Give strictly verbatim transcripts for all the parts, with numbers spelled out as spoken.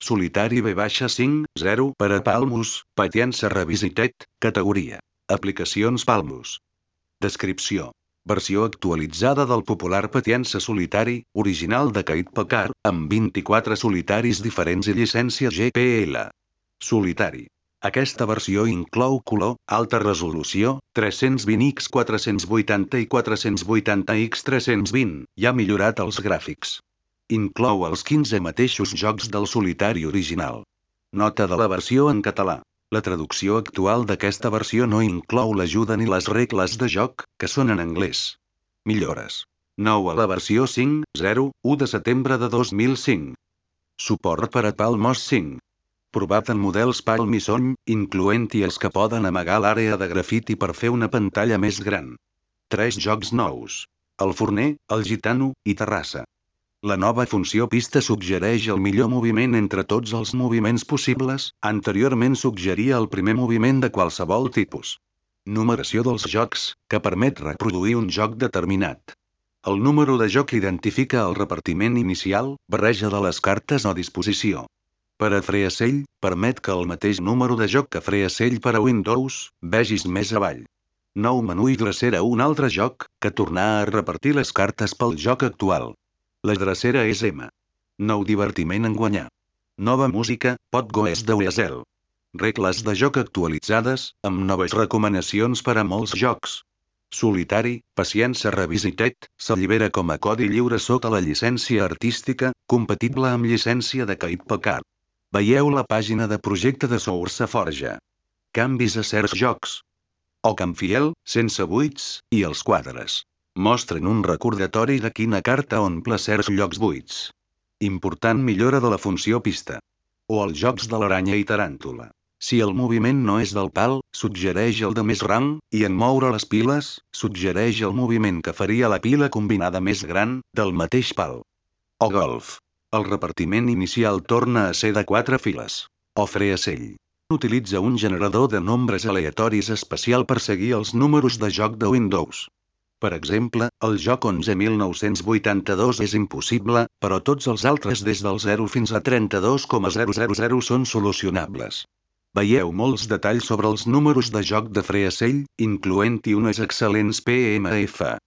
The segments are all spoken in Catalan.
Solitari B cinc zero per a Palmus, Patience Revisited, categoria. Aplicacions Palmus. Descripció. Versió actualitzada del popular Patience Solitari, original de Kate Packard, amb vint-i-quatre solitaris diferents i llicència G P L. Solitari. Aquesta versió inclou color, alta resolució, tres-cents vint per quatre-cents vuitanta i quatre-cents vuitanta per tres-cents vint, i ha millorat els gràfics. Inclou els quinze mateixos jocs del solitari original. Nota de la versió en català. La traducció actual d'aquesta versió no inclou l'ajuda ni les regles de joc, que són en anglès. Millores. Nou a la versió cinc punt zero u de setembre de dos mil cinc. Suport per a Palmos cinc. Provat en models Palm i Sony, incloent-hi els que poden amagar l'àrea de grafiti per fer una pantalla més gran. Tres jocs nous. El Forner, el Gitano, i Terrassa. La nova funció pista suggereix el millor moviment entre tots els moviments possibles, anteriorment suggeria el primer moviment de qualsevol tipus. Numeració dels jocs, que permet reproduir un joc determinat. El número de joc identifica el repartiment inicial, barreja de les cartes o disposició. Per a Freescell, permet que el mateix número de joc que Freescell per a Windows, vegis més avall. Nou menú i drecera un altre joc, que tornar a repartir les cartes pel joc actual. La drecera és M. Nou divertiment en guanyar. Nova música, Pot Goes de Weasel. Regles de joc actualitzades, amb noves recomanacions per a molts jocs. Solitari, Patience Revisited, s'allibera com a codi lliure sota la llicència artística, compatible amb llicència de Kate Packard. Veieu la pàgina de projecte de SourceForge. Canvis a certs jocs. Oakenfield, sense buits, i els quadres. Mostren un recordatori de quina carta omple certs llocs buits. Important millora de la funció pista. O els jocs de l'aranya i taràntula. Si el moviment no és del pal, suggereix el de més rang, i en moure les piles, suggereix el moviment que faria la pila combinada més gran, del mateix pal. O golf. El repartiment inicial torna a ser de quatre files. O Freescell. Utilitza un generador de nombres aleatoris especial per seguir els números de joc de Windows. Per exemple, el joc onze mil nou-cents vuitanta-dos és impossible, però tots els altres des del zero fins a trenta-dos coma zero zero zero són solucionables. Veieu molts detalls sobre els números de joc de Freescell, incloent-hi unes excel·lents P M F.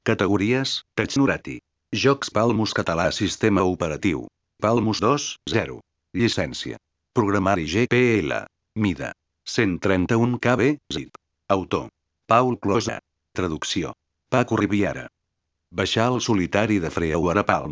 Categories, Technorati. Jocs Palmus català sistema operatiu. Palmus dos punt zero. Llicència. Programari G P L. Mida. cent trenta-un kilobytes zip. Autor. Paul Closa. Traducció. Paco Riviera. Baixar el solitari de Freeware a Palm.